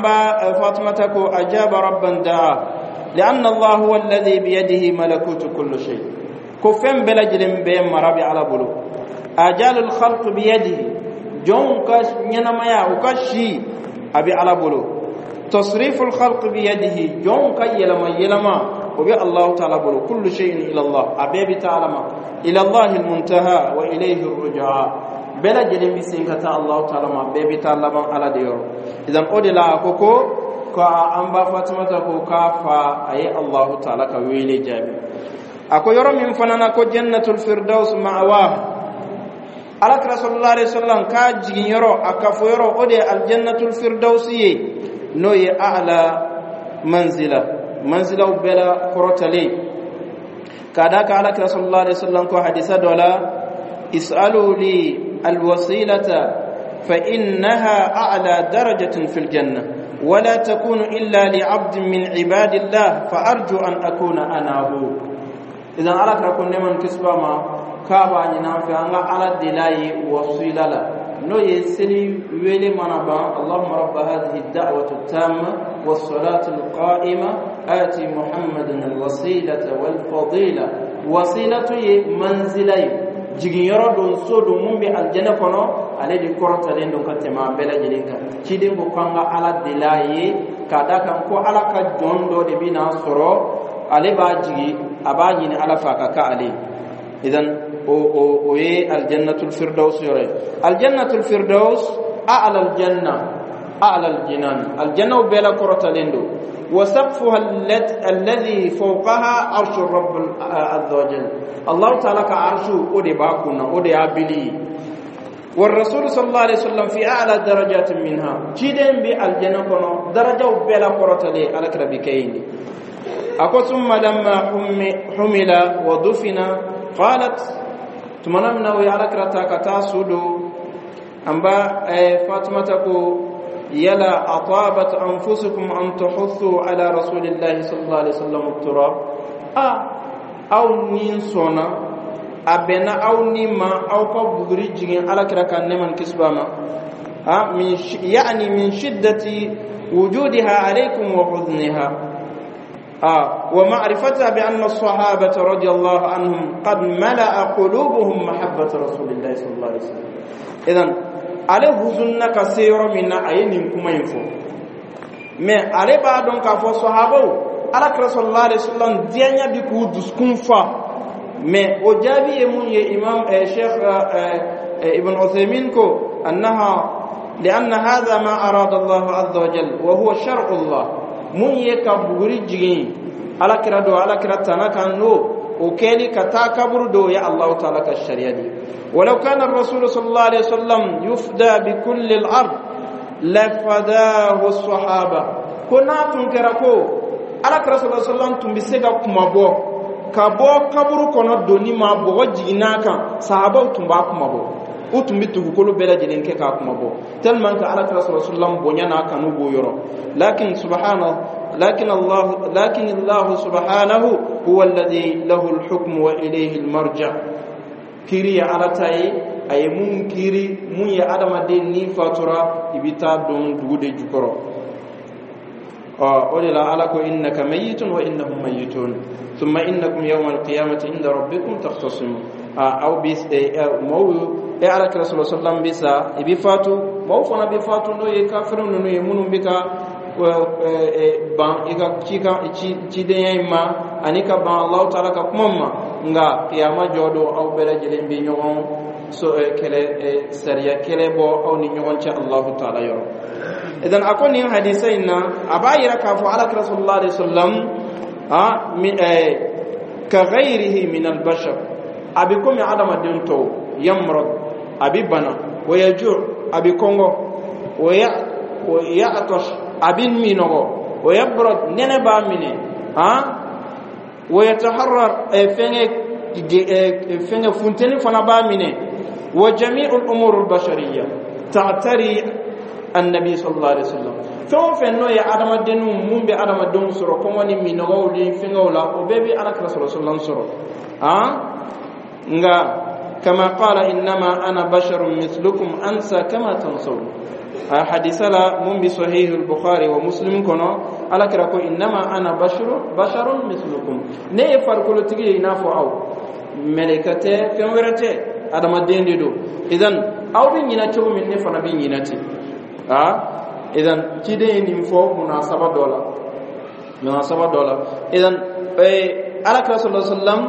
ba Fatumata ko: أجاب ربا دعا لأن الله هو الذي بيده ملكوت كل شيء. Ko fɛn bɛɛ lajɛlen bɛɛ mara bɛ Ala bolo. آجال الخلق بيده, jɔnw ka ɲɛnamaya, u ka si, a bɛ Ala bolo. تصريف الخلق بيده, jɔnw ka yɛlɛma yɛlɛma, o bɛ Allahu taala bolo. كل شيء إلى الله, a bɛɛ bɛ taa Ala ma. إلى الله المنتهى وإليه الرجعى, bɛɛ lajɛlen bɛ sen ka taa Allahu taala ma, bɛɛ bɛ taa laban Ala de yɔrɔ. Idan o de la a ko an ba Fatumata ko k'a fa a ye Allahu taala ka wele jaabi. A ko yɔrɔ min fana na ko جنة الفردوس مأواه, Ala kira صلى الله عليه وسلم k'a jigin yɔrɔ, a kafo yɔrɔ, o de ye الجنة الفردوس ye, n'o ye أعلى منزلة, manzilaw bɛɛ la kɔrɔtalen. K'a da ka Ala kira صلى الله عليه وسلم ko hadisa dɔ la: اسألوا لي الوسيلة فإنها أعلى درجة في الجنة. ولا تكون إلا لعبد من عباد الله، فأرجو أن أكون أنا هو. إذا على كرا نمان كسبا ما كابا نينا في أن على دلاي وسيلة لا n'o ye seli wele mana ban: اللهم رب هذه الدعوة التامة والصلاة القائمة، آت محمدا الوسيلة والفضيلة. وسيلة ye manzila ye, jiginyɔrɔ don, so don mun bɛ alijɛnɛ kɔnɔ, ale de kɔrɔtalen don ka tɛmɛ a bɛɛ lajɛlen kan. Ciden ko k'an ka Ala deli a ye, k'a da kan ko Ala ka jɔn dɔ de bɛ n'a sɔrɔ, ale b'a jigi, a b'a ɲini Ala fɛ a ka kɛ ale ye. Idan o ye aljannatul firdaus yɔrɔ ye. Aljannatul firdaus أعلى الجنة، أعلى الجنان, aljannaw bɛɛ la kɔrɔtalen don. وسقفها الذي فوقها عرش الرب عز وجل. الله تعالى ka arshu o de b'a kunna, o de y'a bili. والرسول صلى الله عليه وسلم في أعلى درجات منها. Ciden bi aljanna kono darajaw bɛɛ la kɔrɔtalen, Ala kira bi kɛ yen de. Ako ثم لما حمل ودفن قالت, tumana min na o ye Ala kira ta ka taa su don, an ba Fatimata ko: yala أطابت أنفسكم أن تحثوا على رسول الله صلى الله عليه وسلم التراب? A aw ni sɔnna, a bɛnna aw ni ma aw ka buguri jigin Ala kira kan, nɛɛma ni kisi b'a ma? Ha من يعني من شدة وجودها عليكم وحزنها ومعرفتها بأن الصحابة رضي الله عنهم قد ملأ قلوبهم محبة رسول الله صلى الله عليه وسلم. إذن ale huzunna ka se yɔrɔ min na, a ye nin kuma in fɔ, mais ale b'a dɔn k'a fɔ sahabaw, Ala kira صلى الله عليه وسلم diyaɲa bi k'u dusukun fa. Mais o jaabi ye mun ye? Imam Cheikh Ibn Uthaymin ko أنها لأن هذا ما أراد الله عز وجل وهو شرع الله. Mun ye ka buguri jigin Ala kira do, Ala kira tana kan, n'o o kɛli ka taa kaburu do ye Allahu taala ka sariya di. ولو كان الرسول صلى الله عليه وسلم يفدى بكل الأرض لفداه الصحابة. Ko n'a tun kɛra ko Ala kira صلى الله عليه وسلم tun bɛ se ka kuma bɔ ka bɔ kaburu kɔnɔ donni ma, bɔgɔ jiginn'a kan, sahabaw tun b'a kuma bɔ, u tun bɛ dugukolo bɛɛ lajɛlen kɛ k'a kuma bɔ, tellement que Ala kira صلى الله عليه وسلم bonya n'a kanu b'o yɔrɔ. لكن سبحانه لكن الله لكن الله سبحانه هو الذي له الحكم وإليه المرجع. Kiri ye Ala ta ye. A ye mun kiri, mun ye adamaden ni fatura, i bɛ taa don dugu de jukɔrɔ. Ɔ o de la Ala ko: إنك ميت وإنهم ميتون ثم إنكم يوم القيامة عند ربكم تختصمون. Aw bi maaw, e Ala kira صلى الله عليه وسلم bi sa, i bi fatu, maaw fana bi fatu, n'o ye kafirin ninnu ye, minnu bɛ ka ban i ka cikan cidenya in ma ani ka ban Alahu taala ka kuma ma. Nka kiyama jɔ don, aw bɛɛ lajɛlen bɛ ɲɔgɔn so kɛlɛ, sariya kɛlɛ bɔ aw ni ɲɔgɔn cɛ Alahu taala yɔrɔ. Idan a ko nin hadisa in na, a b'a yira k'a fɔ Ala kira صلى الله عليه وسلم كغيره من البشر, a bɛ komi adamaden tɔw. يمرض, a bɛ bana, ويجوع, a bɛ kɔngɔ, ويعطش, a bɛ minɔgɔ, ويبرد, nɛnɛ b'a minɛ, ويتحرر, fɛngɛ fɛngɛ funteni fana b'a minɛ. وجميع الأمور البشرية تعتري النبي صلى الله عليه وسلم. Fɛn o fɛn n'o ye adamadenw, mun bɛ adamadenw sɔrɔ, kɔngɔ ni minɔgɔw ni fɛngɛw la, o bɛɛ bɛ Ala kira صلى الله عليه وسلم sɔrɔ. Nka كما قال: إنما أنا بشر مثلكم أنسى كما تنسون. Hadisa la mun bi Sahih al-Bukhari wa Muslim kɔnɔ, Ala kira ko: إنما أنا بشر بشر مثلكم, ne ye farikolotigi ye i n'a fɔ aw, mɛlɛkɛ tɛ, fɛn wɛrɛ tɛ, adamaden de don. Idan aw bɛ ɲinɛ cogo min, ne fana bɛ ɲinɛ ten. Idan ciden ye nin fɔ munasaba dɔ la, munasaba dɔ la. Idan Ala kira صلى الله عليه وسلم,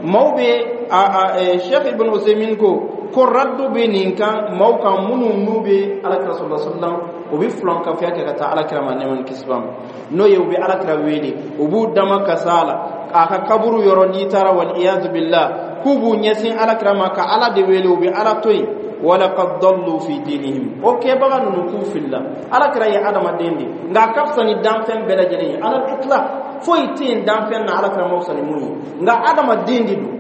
maaw bɛ a Cheikh Ibn Usaymin ko raddu bɛ nin kan maaw kan minnu n'u bɛ Ala kira صلى الله عليه وسلم, u bɛ filankafoya kɛ ka taa Ala kira ma, nɛɛma ni kisi b'a ma, n'o ye u bɛ Ala kira wele, u b'u dama kasa la a ka kaburu yɔrɔ n'i taara, والعياذ بالله, k'u b'u ɲɛsin Ala kira ma ka Ala de wele, u bɛ Ala to yen. ولقد ضلوا في دينهم. O kɛbaga ninnu k'u filila. Ala kira ye adamaden de, nka a ka fisa ni danfɛn bɛɛ lajɛlen ye. على الإطلاق, foyi tɛ yen danfɛn na Ala kira ma fisa ni mun ye. Nka adamaden de don,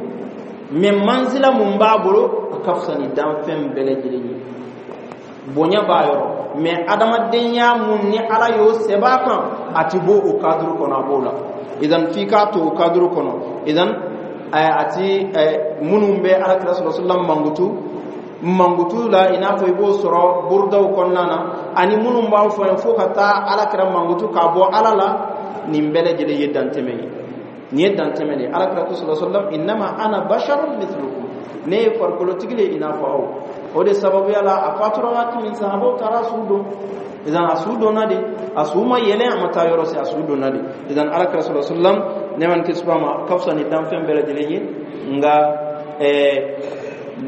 mais manzila mun b'a bolo, a ka fisa ni danfɛn bɛɛ lajɛlen ye, bonya b'a yɔrɔ. Mais adamadenya mun ni Ala y'o sɛbɛn kan, a ti bɔ o cadre kɔnɔ, a b'o la. Idan f'i k'a to o cadre kɔnɔ. Idan a ti minnu bɛ Alakira sɔrɔ sallam mankutu mankutu la, i n'a fɔ i b'o sɔrɔ burudaw kɔnɔna na, ani minnu b'a fɔ ye fo ka taa Alakira mankutu k'a bɔ Ala la, nin bɛɛ lajɛlen ye dantɛmɛ ye. Nin ye dantɛmɛ de ye. Alakira ko sɔrɔ sallam: "Innama ana basharun mithlukum", ne ye farikolotigi le i n'a fɔ aw. O de sababuya la, a fatura waati min, sahabaw taara su don. Idan a su donna de, a su ma yɛlɛ, a ma taa yɔrɔ si, a su donna de. Idan Alakira sɔrɔ sallam, nɛɛma ni kisi b'a ma, ka fisa ni danfɛn bɛɛ lajɛlen ye. Nka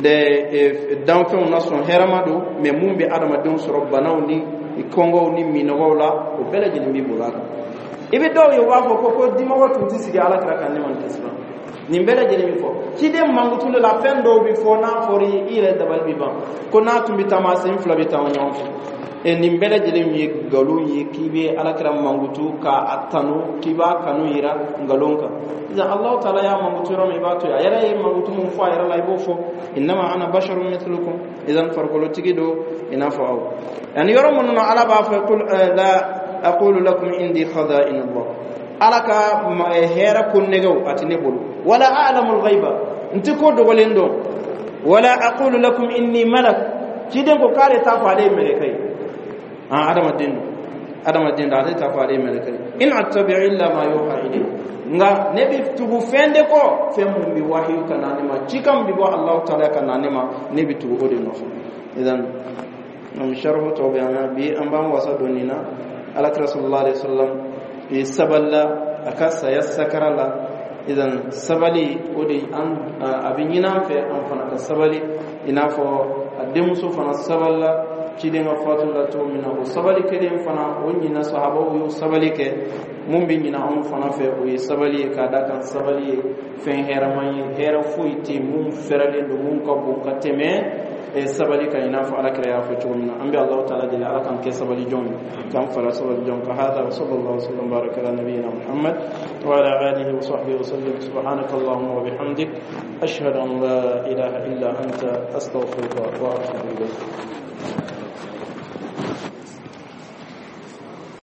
de danfɛnw na sɔn hɛrɛma don, mais mun bɛ adamadenw sɔrɔ banaw ni kɔngɔw ni minɔgɔw la, o bɛɛ lajɛlen b'i bolo a kan. I bɛ dɔw ye, u b'a fɔ ko dimɔgɔ tun tɛ sigi Alakira kan, nɛɛma ni kisi b'a ma. Nin bɛɛ lajɛlen bɛ fɔ ciden mankutu de la. Fɛn dɔw bɛ fɔ, n'a fɔra i yɛrɛ dabali bɛ ban, ko n'a tun bɛ taama, sen fila bɛ taama ɲɔgɔn fɛ. E, nin bɛɛ lajɛlen ye nkalon ye, k'i bɛ Alakira mankutu k'a tanu, k'i b'a kanu yira nkalon kan. Sisan Alahu taala y'a mankutu yɔrɔ min, i b'a to yen. A yɛrɛ ye mankutu mun fɔ a yɛrɛ la, i b'o fɔ: "Innama ana basharun mithlukum". Idan farikolotigi don i n'a fɔ aw. Yani yɔrɔ minnu na Ala b'a fɔ: "Qul la aqulu lakum indi khaza'in Allah", Ala ka hɛrɛ ko nɛgɛw a ti ne bolo. "Wala a'lamul ghaiba", n ti ko dogolen dɔn. "Wala aqulu lakum inni malak", ciden ko k'ale t'a fɔ ale ye mɛlɛkɛ ye. Ah, adamaden don, adamaden don, ale t'a fɔ ale ye mɛlɛkɛ ye. "In attabi'u illa ma yuha ilayya", nka ne bɛ tugu fɛn de kɔ, fɛn mun bɛ wahiyu ka na ne ma, cikan bɛ bɔ Alahu taala ka na ne ma, ne bɛ tugu o de nɔfɛ. Idan am sharhu tɔ bɛ an bi, an b'an wasa don nin na. Alakira sallallahu alaihi wasallam i sabalila a ka saya sakara la. Idan sabali, o de an a bɛ ɲini an fɛ, an fana ka sabali, i n'a fɔ a denmuso fana sabalila ciden ka fatu la cogo min na. O sabali kelen fana, o ɲina sahabaw y'o sabali kɛ. Mun bɛ ɲina anw fana fɛ, o ye sabali ye, k'a da kan sabali ye fɛn hɛrɛman ye. Hɛrɛ foyi tɛ mun fɛrɛlen don, mun ka bon ka tɛmɛ sabali kan, i n'a fɔ Alakira y'a fɔ cogo min na. An bɛ Alahu taala deli, Ala k'an kɛ sabali jɔn ye, k'an fara sabali jɔn kan. Hada wa sallallahu wasallam baraka ala nabiyyina Muhammad wa ala alihi wa sahbihi wa sallam. Subhanaka allahumma wa bihamdik, ashhadu an la ilaha illa anta, astaghfiruka wa atubu ilayk.